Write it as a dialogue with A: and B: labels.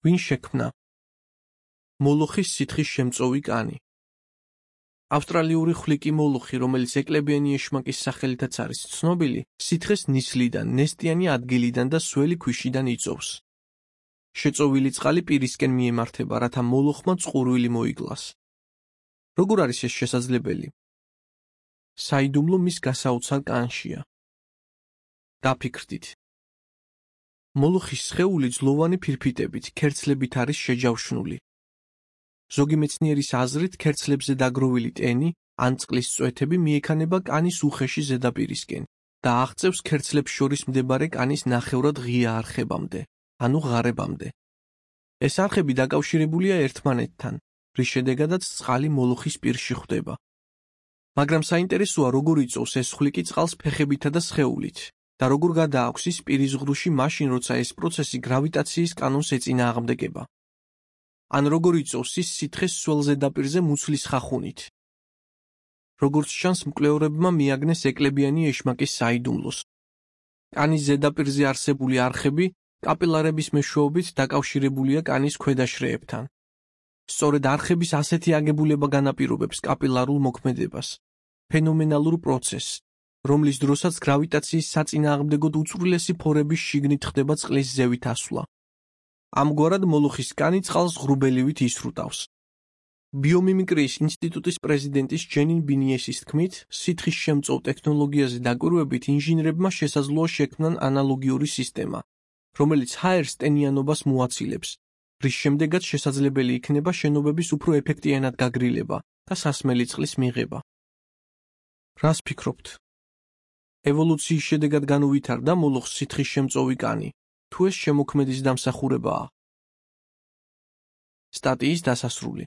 A: ვინ შექმნა? მოლოხის სითხის შემწოვი კანი. ავსტრალიური ხვლიკი მოლოხი, რომელიც ეკლებიანი ეშმაკის სახელითაც არის ცნობილი, სითხეს ნისლიდან, ნესტიანი ადგილიდან და სველი ქვიშიდან იწოვს. შეწოვილი წყალი პირისკენ მიემართება, რათა მოლოხმა წყურვილი მოიგლას. როგორ არის ეს შესაძლებელი? საიდუმლო მის გასაოცარ კანშია. დაფიქრდით. მოლოხის სხეული ძლოვანი ფირფიტებით, ქერცლებით არის შეჯავშნული. ზოგი მეცნიერის აზრით, ქერცლებზე დაგროვილი ტენი ან წყლის წვეთები მიექანება კანის უხეში ზედაპირისკენ და აღწევს ქერცლებს შორის მდებარე კანის ნახევრად ღია არხებამდე, ანუ ღარებამდე. ეს არხები დაკავშირებულია ერთმანეთთან, რის შედეგადაც წყალი მოლოხის პირში ხვდება. მაგრამ საინტერესოა, როგორ იწოვს ეს ხვლიკი წყალს ფეხებითა და სხეულით და როგორ გადააქვს ის პირის ღრუში მაშინ, როცა ეს პროცესი გრავიტაციის კანონს ეწინააღმდეგება. ან როგორ იწოვს ის სითხეს სველ ზედაპირზე მუცლის ხახუნით. როგორც ჩანს, მკვლევარებმა მიაგნეს ეკლებიანი ეშმაკის საიდუმლოს. კანის ზედაპირზე არსებული არხები კაპილარების მეშვეობით დაკავშირებულია კანის ქვედა შრეებთან. სწორედ არხების ასეთი აგებულება განაპირობებს კაპილარულ მოქმედებას, ფენომენალურ პროცესს, რომლის დროსაც გრავიტაციის საწინააღმდეგოდ უწვრილესი ფორების შიგნით ხდება წყლის ზევით ასვლა. ამგვარად მოლოხის კანი წყალს ღრუბელივით ისრუტავს. ბიომიმიკრიის ინსტიტუტის პრეზიდენტის ჯენინ ბინიესის თქმით, სითხის შემწოვ ტექნოლოგიაზე დაკვირვებით ინჟინრებმა შესაძლოა შექმნან ანალოგიური სისტემა, რომელიც ჰაერს ტენიანობას მოაცილებს, რის შემდეგაც შესაძლებელი იქნება შენობების უფრო ეფექტიანად გაგრილება და სასმელი წყლის მიღება. რას ფიქრობთ? ევოლუციის შედეგად განუვითარდა მოლოხს სითხის შემწოვი კანი, თუ ეს შემოქმედის დამსახურებაა? სტატიის დასასრული.